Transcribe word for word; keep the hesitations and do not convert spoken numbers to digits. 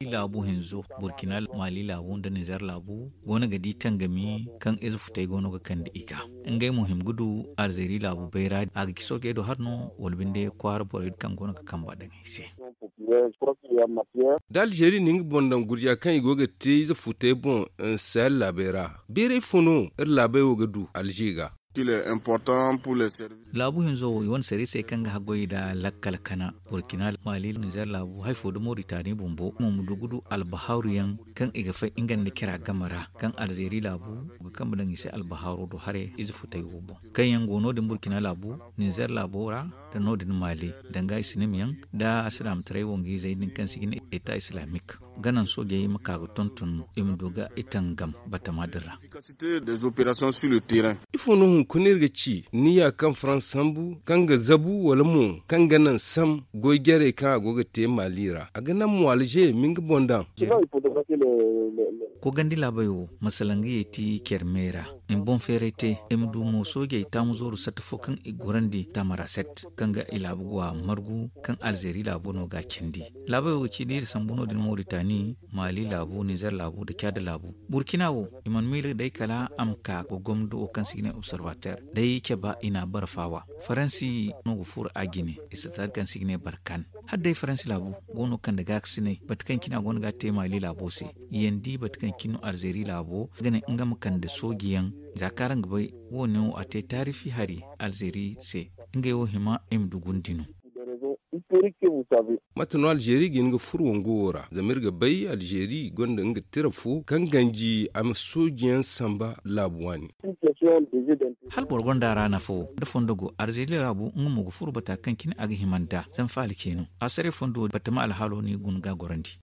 Laabu hinzo, burkina, mali laabu nda nizer laabu go no ga di tangami kaŋ ize futay go no ga kande i ga ngey mo hima ga du alzeeri laabu bayra a ga ci soojey do hari no wala binde kwaara borey kaŋ go no ga kamba daŋ i se. Da alzeeri na nga boŋ daŋ gurja kaŋ i go ga te ize futay boŋ sahel laabey ra, bayray fo no iri laabey wo ga du alze ga? Laabu hinzo wo i wane sariisey kaŋ ga haggoy nda lakkal kana burkina, mali, nizer laabu hari fo nda moritani bumbo mo ma du ga du albahaaru yaŋ kaŋ i ga fay nga nda cira game ra kaŋ alzeeri laabu ga kambe daŋ i se albahaaro do haray ize futay wo boŋ kaŋ yaŋ go no- din burkina laabu, nizer laabo ra, nda no- din mali, danga islaam yaŋ nda alsilaamataray wangizey din kaŋ se i ga ne eta islaamik, ga naŋ soojey ma ka ga tonton i ma du ga i tangam batama din ra. Ifo no hunkuna iri ga ci niya kaŋ farans sambu kaŋ ga zabu wala mo kaŋ ga naŋ sam goy jarey kaŋ a go ga te mali ra a ga naŋ mo alze ma nga boŋ daŋ? Kogandi laabey wo masala nga ye ti care me ra i ma boŋ feeray te i ma du mo soojey taamu zooru satta fo kaŋ i gorandi tamaraset kaŋ ga i laabu go a margu kaŋ alzeeri laabo no ga a candi. Laabey wo ga ci da iri sambu no- din moritani, mali laabu, nizer laabu nda caada laabu. Burkina wo i mana miila day kala a ma ka ga gomdo wo kaŋ se i ga ne observateur day caba i na a bara faawa. Faransi no ga furo a jine, i si taari kaŋ se i ga ne barkan. Hala day faransi laabu go no kande gaakasinay bate kaŋ cine a go no ga a te mali laabo se. Yaŋ di bate kaŋ cine no alzeeri laabo ga ne nga ma kande sooji yaŋ. Za kaŋ araŋ ga bay, wo- ne wo a te taarifi hari alzeeri se. Ngey wo hima i ma du gundi no. Mate no alzeeri ga hin ga furo wango wo ra zama iri ga bay alzeeri gonda nga tira fo kaŋ ganji a ma sooji yaŋ samba laabu waani. Hala boro gonda a ra nafa wo da fondo go alzeeri laabu nga mo ga furo bata kaŋ cine a ga hima nd'a zama faala ce no a saray fondo batama alhaalo no i guna ga a gorandi.